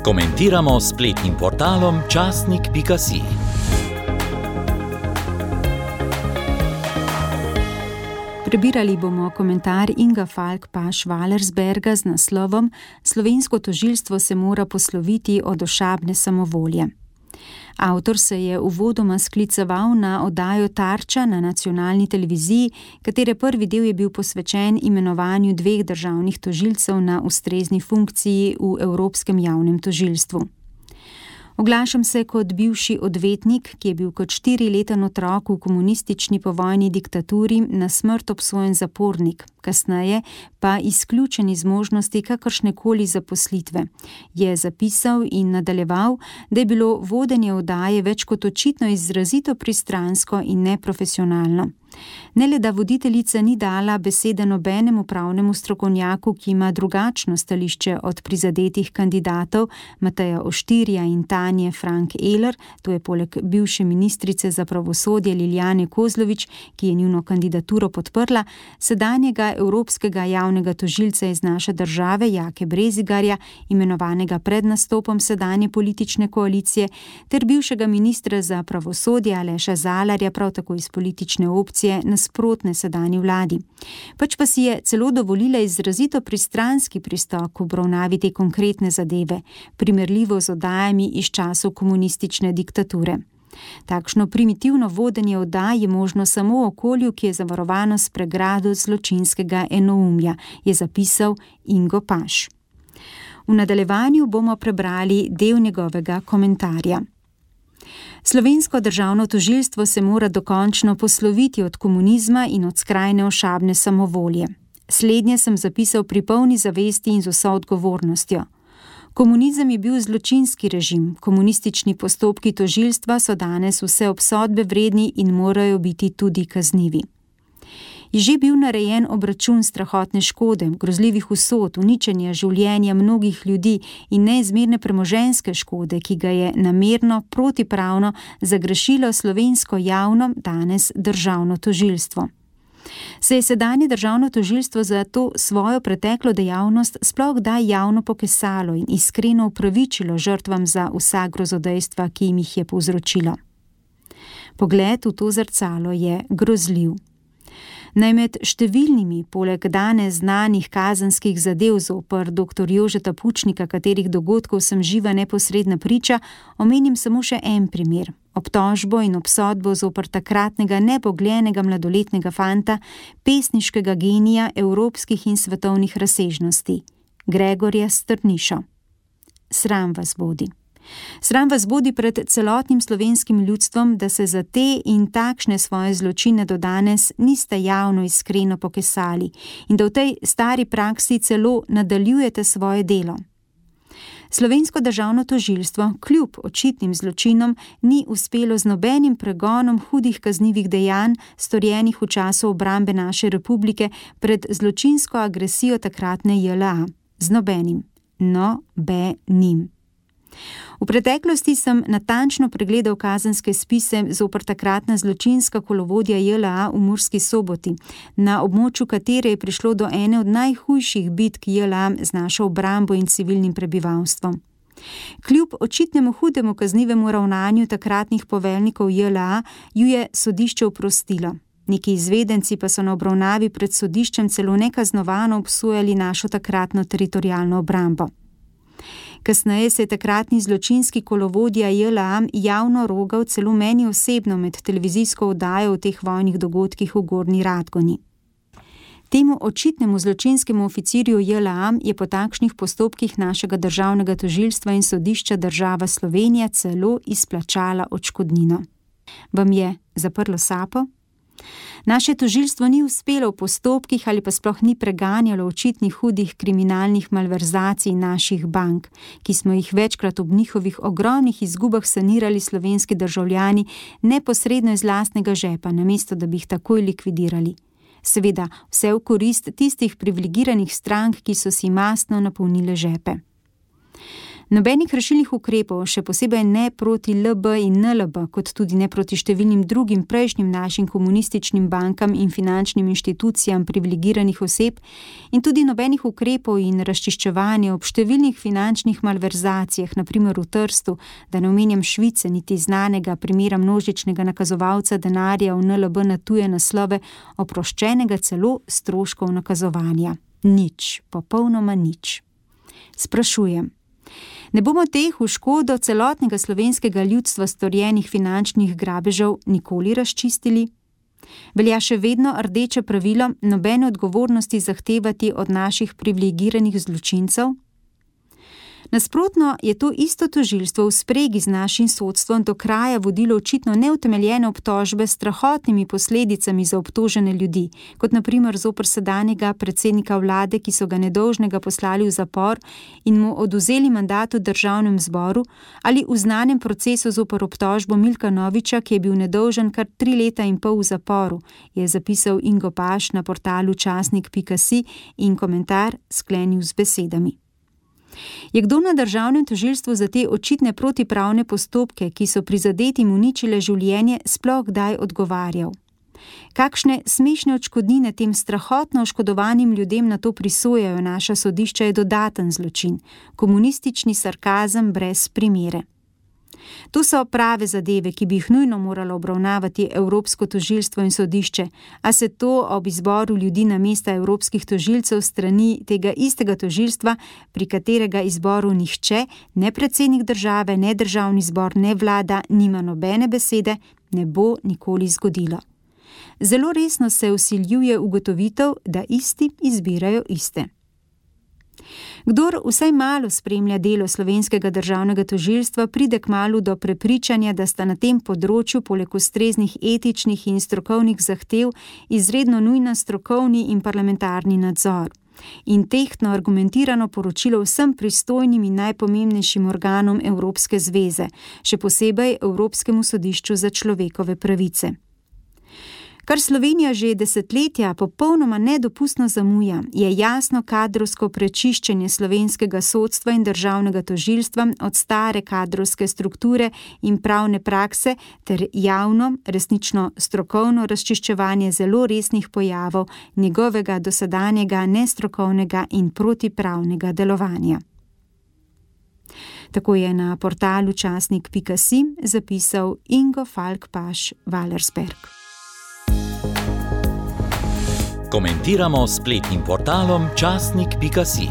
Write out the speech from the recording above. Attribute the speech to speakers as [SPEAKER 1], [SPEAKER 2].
[SPEAKER 1] Komentiramo s spletnim portalom časnik.si.
[SPEAKER 2] Prebirali bomo komentar Inga Falk-Paš-Valersberga z naslovom Slovensko tožilstvo se mora posloviti od ošabne samovolje. Avtor se je uvodoma skliceval na oddajo Tarča na nacionalni televiziji, katere prvi del je bil posvečen imenovanju 2 državnih tožilcev na ustrezni funkciji v Evropskem javnem tožilstvu. Oglašam se kot bivši odvetnik, ki je bil kot 4-leten otrok v komunistični povojni diktaturi na smrt obsojen zapornik, kasneje pa izključen iz možnosti kakršnekoli zaposlitve. Je zapisal in nadaljeval, da je bilo vodenje oddaje več kot očitno izrazito pristransko in neprofesionalno. Ne le, da voditeljica ni dala besede nobenemu pravnemu strokovnjaku, ki ima drugačno stališče od prizadetih kandidatov Mateja Oštirja in Tanje Frank Eler, to je poleg bivše ministrice za pravosodje Lilijane Kozlovič, ki je njuno kandidaturo podprla, sedanjega evropskega javnega tožilca iz naše države Jake Brezigarja, imenovanega pred nastopom sedanje politične koalicije, ter bivšega ministra za pravosodje Aleša Zalarja, prav tako iz politične opcije nasprotne sedanji vladi. Pač pa si je celo dovolila izrazito pristranski pristop k obravnavi te konkretne zadeve, primerljivo z oddajami iz časov komunistične diktature. Takšno primitivno vodenje oddaj je možno samo v okolju, ki je zavarovano s pregrado zločinskega enoumja, je zapisal Ingo Paš. V nadaljevanju bomo prebrali del njegovega komentarja. Slovensko državno tožilstvo se mora dokončno posloviti od komunizma in od skrajne ošabne samovolje. Slednje sem zapisal pri polni zavesti in z vso odgovornostjo. Komunizem je bil zločinski režim, komunistični postopki tožilstva so danes vse obsodbe vredni in morajo biti tudi kaznivi. Je že bil narejen obračun strahotne škode, grozljivih usod, uničenja življenja mnogih ljudi in neizmerne premoženjske škode, ki ga je namerno, protipravno zagrešilo slovensko javno, danes državno tožilstvo. Se je sedanje državno tožilstvo za to svojo preteklo dejavnost sploh kdaj javno pokesalo in iskreno upravičilo žrtvam za vsa grozodejstva, ki jim jih je povzročilo? Pogled v to zrcalo je grozljiv. Naj med številnimi, poleg danes znanih kazenskih zadev zoper dr. Jožeta Pučnika, katerih dogodkov sem živa neposredna priča, omenim samo še en primer. Obtožbo in obsodbo zoper takratnega nebogljenega mladoletnega fanta, pesniškega genija evropskih in svetovnih razsežnosti, Gregorja Strnišo. Sram vas bodi. Sram vas bodi pred celotnim slovenskim ljudstvom, da se za te in takšne svoje zločine do danes niste javno iskreno pokesali in da v tej stari praksi celo nadaljujete svoje delo. Slovensko državno tožilstvo kljub očitnim zločinom ni uspelo z nobenim pregonom hudih kaznivih dejanj, storjenih v času obrambe naše republike pred zločinsko agresijo takratne JLA. Z nobenim. Nobenim. V preteklosti sem natančno pregledal kazenske spise zoper takratna zločinska kolovodja JLA v Murski Soboti, na območju katere je prišlo do ene od najhujših bitk JLA z našo obrambo in civilnim prebivalstvom. Kljub očitnemu hudemu kaznivemu ravnanju takratnih poveljnikov JLA ju je sodišče oprostilo. Neki izvedenci pa so na obravnavi pred sodiščem celo nekaznovano obsojali našo takratno teritorialno obrambo. Kasneje se je takratni zločinski kolovodja JLA javno rogal celo meni osebno med televizijsko oddajo o teh vojnih dogodkih v Gornji Radgoni. Temu očitnemu zločinskemu oficirju JLA je po takšnih postopkih našega državnega tožilstva in sodišča država Slovenija celo izplačala odškodnino. Vam je zaprlo sapo? Naše tožilstvo ni uspelo v postopkih ali pa sploh ni preganjalo očitnih hudih kriminalnih malverzacij naših bank, ki smo jih večkrat ob njihovih ogromnih izgubah sanirali slovenski državljani neposredno iz lastnega žepa, namesto da bi jih takoj likvidirali. Seveda, vse v korist tistih privilegiranih strank, ki so si mastno napolnile žepe. Nobenih rešilnih ukrepov, še posebej ne proti LB in NLB, kot tudi ne proti številnim drugim prejšnjim našim komunističnim bankam in finančnim inštitucijam privilegiranih oseb in tudi nobenih ukrepov in razčiščevanja ob številnih finančnih malverzacijah, na primer v Trstu, da ne omenjam Švice, niti znanega primera množičnega nakazovalca denarja v NLB na tuje naslove, oproščenega celo stroškov nakazovanja. Nič, popolnoma nič. Sprašujem. Ne bomo teh v škodo celotnega slovenskega ljudstva storjenih finančnih grabežev nikoli razčistili? Velja še vedno rdeče pravilo nobene odgovornosti zahtevati od naših privilegiranih zločincev? Nasprotno je to isto tožilstvo v spregi z našim sodstvom do kraja vodilo očitno neutemeljene obtožbe s strahotnimi posledicami za obtožene ljudi, kot na primer zoper sedanjega predsednika vlade, ki so ga nedolžnega poslali v zapor in mu odvzeli mandat v državnem zboru, ali v znanem procesu zoper obtožbo Milka Noviča, ki je bil nedolžen kar 3 leta in pol v zaporu, je zapisal Ingo Paš na portalu časnik.si in komentar sklenil z besedami. Je kdo na državnem tožilstvu za te očitne protipravne postopke, ki so prizadetim uničile življenje, sploh kdaj odgovarjal? Kakšne smešne odškodnine tem strahotno oškodovanim ljudem na to prisojajo naša sodišča, je dodaten zločin, komunistični sarkazem brez primere. To so prave zadeve, ki bi jih nujno moralo obravnavati Evropsko tožilstvo in sodišče, a se to ob izboru ljudi na mesta evropskih tožilcev strani tega istega tožilstva, pri katerega izboru nihče, ne predsednik države, ne državni zbor, ne vlada, nima nobene besede, ne bo nikoli zgodilo. Zelo resno se vsiljuje ugotovitev, da isti izbirajo iste. Kdor vsaj malo spremlja delo slovenskega državnega tožilstva, pride kmalu do prepričanja, da sta na tem področju poleg ustreznih etičnih in strokovnih zahtev izredno nujna strokovni in parlamentarni nadzor in tehtno argumentirano poročilo vsem pristojnim in najpomembnejšim organom Evropske zveze, še posebej Evropskemu sodišču za človekove pravice. Kar Slovenija že desetletja popolnoma nedopustno zamuja, je jasno kadrovsko prečiščenje slovenskega sodstva in državnega tožilstva od stare kadrovske strukture in pravne prakse ter javno, resnično strokovno razčiščevanje zelo resnih pojavov njegovega dosedanjega nestrokovnega in protipravnega delovanja. Tako je na portalu časnik.si zapisal Ingo Falk Paš Wallersberg.
[SPEAKER 1] Komentiramo s spletnim portalom časnik.si.